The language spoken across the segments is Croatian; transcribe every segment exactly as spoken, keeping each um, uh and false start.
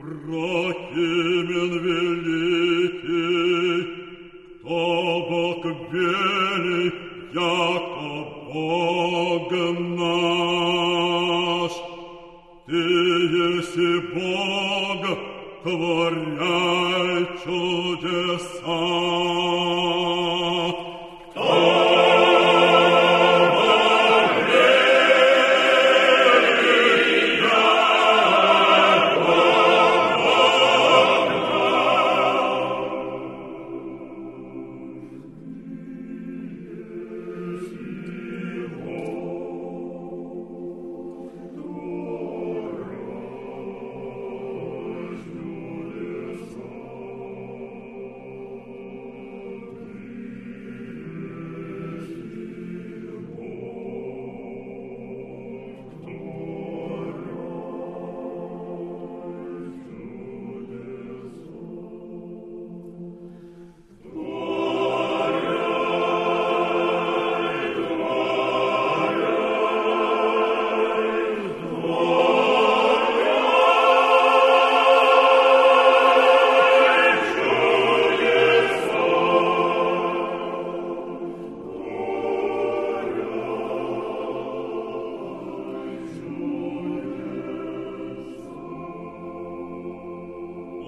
Прохимен великий, кто Бог вели, яко Бог наш. Ты еси Бог, творяй чудеса.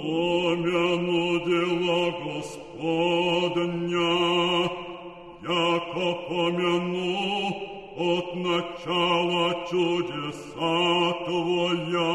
Помяну дела Господня, яко помяну от начала чудеса Твоя.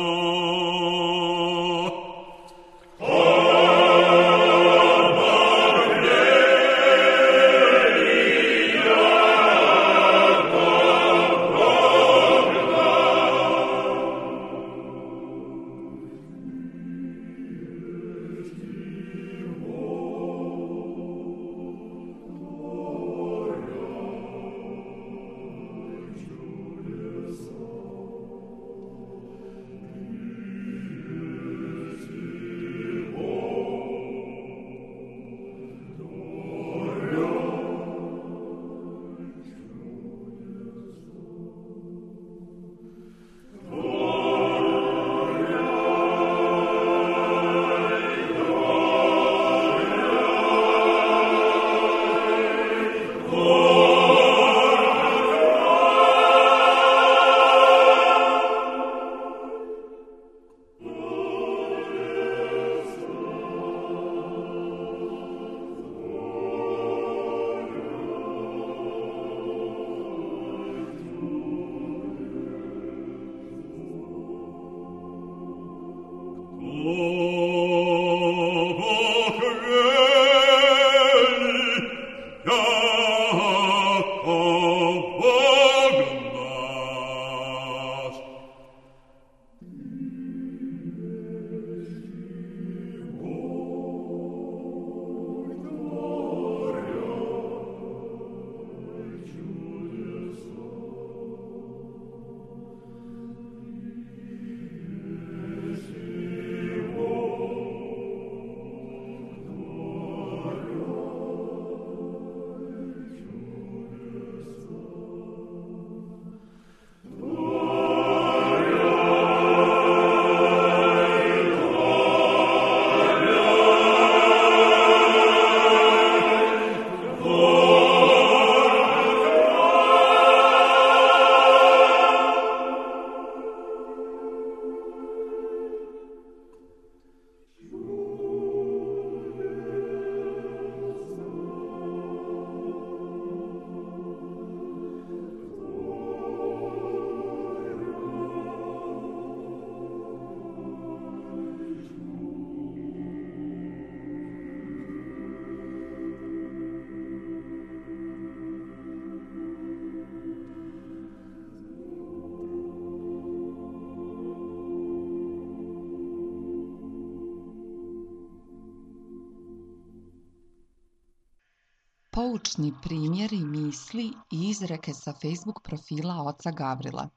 Poučni primjeri, misli i izreke sa Facebook profila oca Gavrila.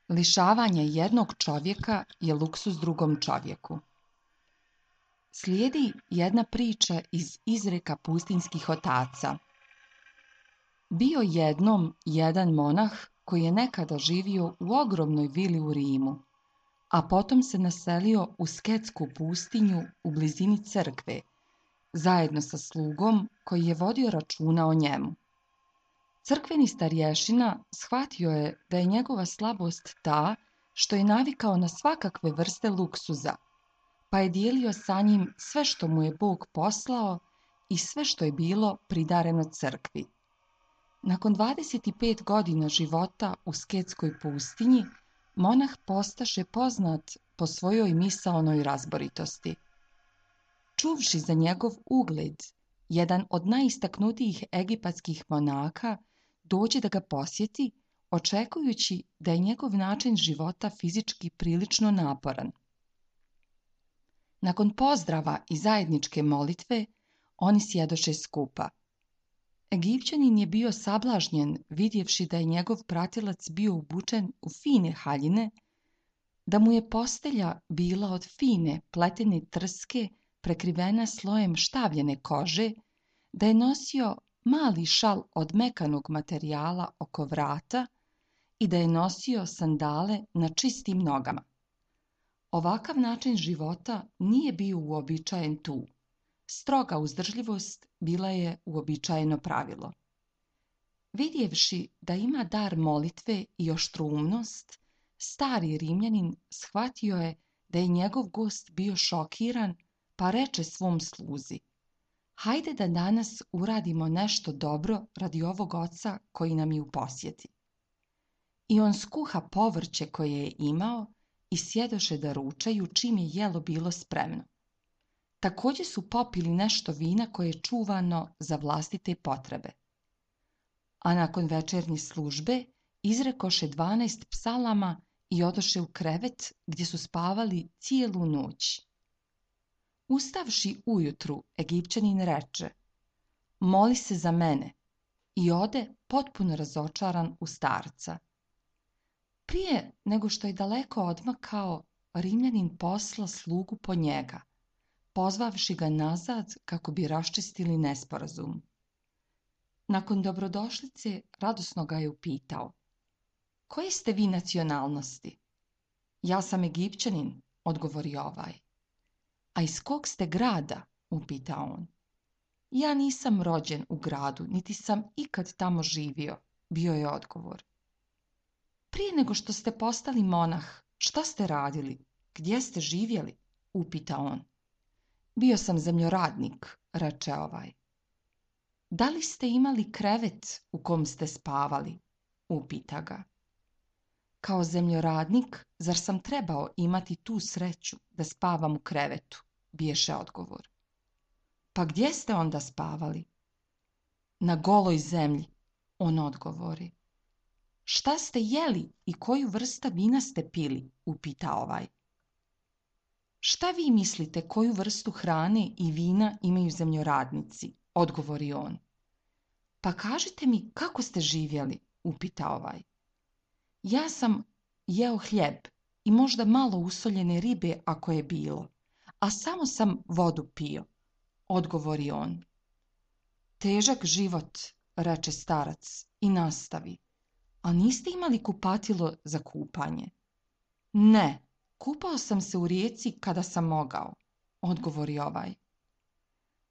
Lišavanje jednog čovjeka je luksuz drugom čovjeku. Slijedi jedna priča iz izreka pustinjskih otaca. Bio jednom jedan monah koji je nekada živio u ogromnoj vili u Rimu. a potom se naselio u Sketsku pustinju u blizini crkve, zajedno sa slugom koji je vodio računa o njemu. Crkveni starješina shvatio je da je njegova slabost ta što je navikao na svakakve vrste luksuza, pa je dijelio sa njim sve što mu je Bog poslao i sve što je bilo pridareno crkvi. Nakon dvadeset pet godina života u Sketskoj pustinji, monah postaše poznat po svojoj misaonoj razboritosti. Čuvši za njegov ugled, jedan od najistaknutijih egipatskih monaka dođe da ga posjeti, očekujući da je njegov način života fizički prilično naporan. Nakon pozdrava i zajedničke molitve, oni sjedoše skupa. Egipćanin je bio sablažnjen vidjevši da je njegov pratilac bio obučen u fine haljine, da mu je postelja bila od fine pletene trske prekrivena slojem štavljene kože, da je nosio mali šal od mekanog materijala oko vrata i da je nosio sandale na čistim nogama. Ovakav način života nije bio uobičajen tu. Stroga uzdržljivost bila je uobičajeno pravilo. Vidjevši da ima dar molitve i oštroumnost, stari Rimljanin shvatio je da je njegov gost bio šokiran, pa reče svom sluzi: hajde da danas uradimo nešto dobro radi ovog oca koji nam je u posjeti. I on skuha povrće koje je imao i sjedoše da ručaju čim je jelo bilo spremno. Također su popili nešto vina koje je čuvano za vlastite potrebe. A nakon večernje službe izrekoše dvanaest psalama i odoše u krevet gdje su spavali cijelu noć. Ustavši ujutru, Egipćanin reče: moli se za mene, i ode potpuno razočaran u starca. Prije nego što je daleko odmakao, Rimljanin posla slugu po njega, pozvavši ga nazad kako bi raščistili nesporazum. Nakon dobrodošlice radosno ga je upitao: koje ste vi nacionalnosti? Ja sam Egipćanin, odgovorio ovaj. A iz kog ste grada? upita on. Ja nisam rođen u gradu, niti sam ikad tamo živio, bio je odgovor. Prije nego što ste postali monah, šta ste radili? Gdje ste živjeli? upita on. Bio sam zemljoradnik, reče ovaj. Da li ste imali krevet u kom ste spavali? upita ga. Kao zemljoradnik, zar sam trebao imati tu sreću da spavam u krevetu? Biješe odgovor. Pa gdje ste onda spavali? Na goloj zemlji, on odgovori. Šta ste jeli i koju vrsta vina ste pili? upita ovaj. Šta vi mislite koju vrstu hrane i vina imaju zemljoradnici? Odgovori on. Pa kažite mi kako ste živjeli? upita ovaj. Ja sam jeo hljeb i možda malo usoljene ribe ako je bilo, a samo sam vodu pio, odgovori on. Težak život, reče starac i nastavi. A niste imali kupatilo za kupanje? Ne, kupao sam se u rijeci kada sam mogao, odgovori ovaj.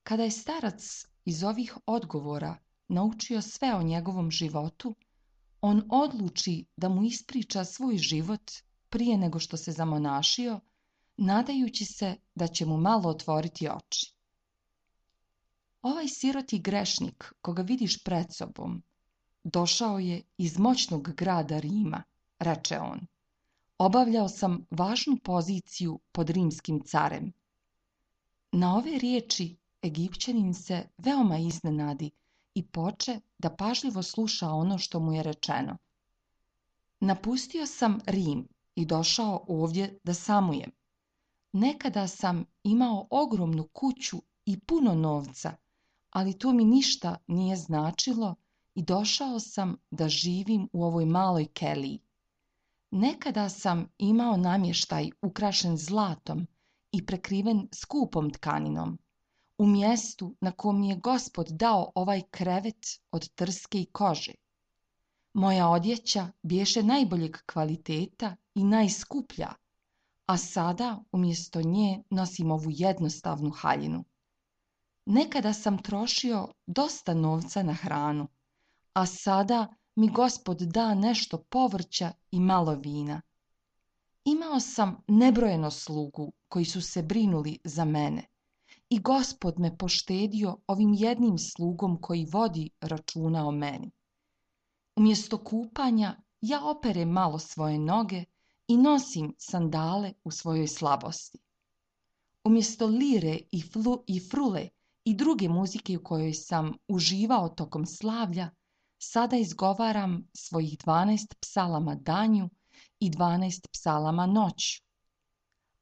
Kada je starac iz ovih odgovora naučio sve o njegovom životu, on odluči da mu ispriča svoj život prije nego što se zamonašio, nadajući se da će mu malo otvoriti oči. Ovaj siroti grešnik, koga vidiš pred sobom, došao je iz moćnog grada Rima, reče on. Obavljao sam važnu poziciju pod rimskim carem. Na ove riječi Egipćanin se veoma iznenadi i poče da pažljivo sluša ono što mu je rečeno. Napustio sam Rim i došao ovdje da samujem. Nekada sam imao ogromnu kuću i puno novca, ali to mi ništa nije značilo i došao sam da živim u ovoj maloj keliji. Nekada sam imao namještaj ukrašen zlatom i prekriven skupom tkaninom, u mjestu na kom mi je Gospod dao ovaj krevet od trske i kože. Moja odjeća biješe najboljeg kvaliteta i najskuplja, a sada umjesto nje nosim ovu jednostavnu haljinu. Nekada sam trošio dosta novca na hranu, a sada mi Gospod da nešto povrća i malo vina. Imao sam nebrojeno slugu koji su se brinuli za mene i Gospod me poštedio ovim jednim slugom koji vodi računa o meni. Umjesto kupanja ja operem malo svoje noge i nosim sandale u svojoj slabosti. Umjesto lire i, flu, i frule i druge muzike u kojoj sam uživao tokom slavlja, sada izgovaram svojih dvanaest psalama danju i dvanaest psalama noću.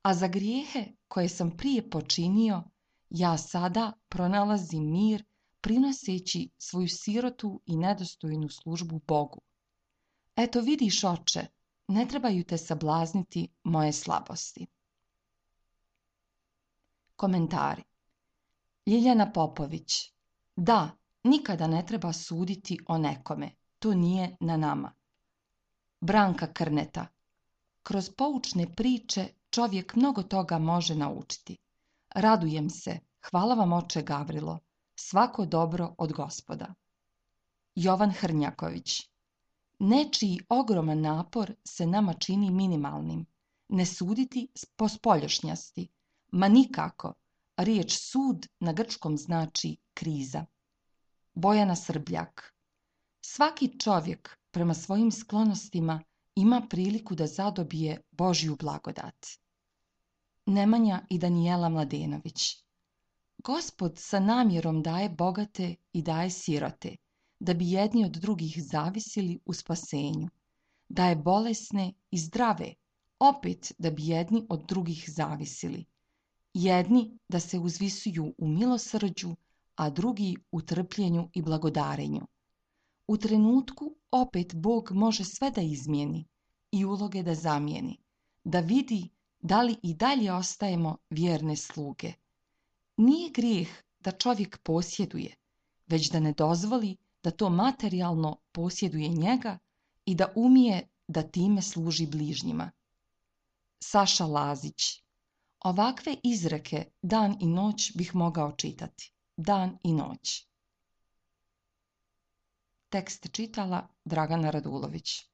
A za grijehe koje sam prije počinio, ja sada pronalazim mir prinoseći svoju sirotu i nedostojnu službu Bogu. Eto vidiš, oče, ne trebaju te sablazniti moje slabosti. Komentari. Ljiljana Popović. Da, nikada ne treba suditi o nekome. To nije na nama. Branka Krneta. Kroz poučne priče čovjek mnogo toga može naučiti. Radujem se. Hvala vam, oče Gavrilo. Svako dobro od Gospoda. Jovan Hrnjaković. Nečiji ogroman napor se nama čini minimalnim. Ne suditi po spoljašnjosti. Ma nikako. Riječ sud na grčkom znači kriza. Bojana Srbljak. Svaki čovjek prema svojim sklonostima ima priliku da zadobije Božju blagodat. Nemanja i Danijela Mladenović. Gospod sa namjerom daje bogate i daje sirote, da bi jedni od drugih zavisili u spasenju. Daje bolesne i zdrave, opet da bi jedni od drugih zavisili. Jedni da se uzvisuju u milosrđu, a drugi u trpljenju i blagodarenju. U trenutku opet Bog može sve da izmijeni i uloge da zamijeni, da vidi da li i dalje ostajemo vjerne sluge. Nije grijeh da čovjek posjeduje, već da ne dozvoli da to materijalno posjeduje njega i da umije da time služi bližnjima. Saša Lazić. Ovakve izreke dan i noć bih mogao čitati. Dan i noć. Tekst čitala Dragana Radulović.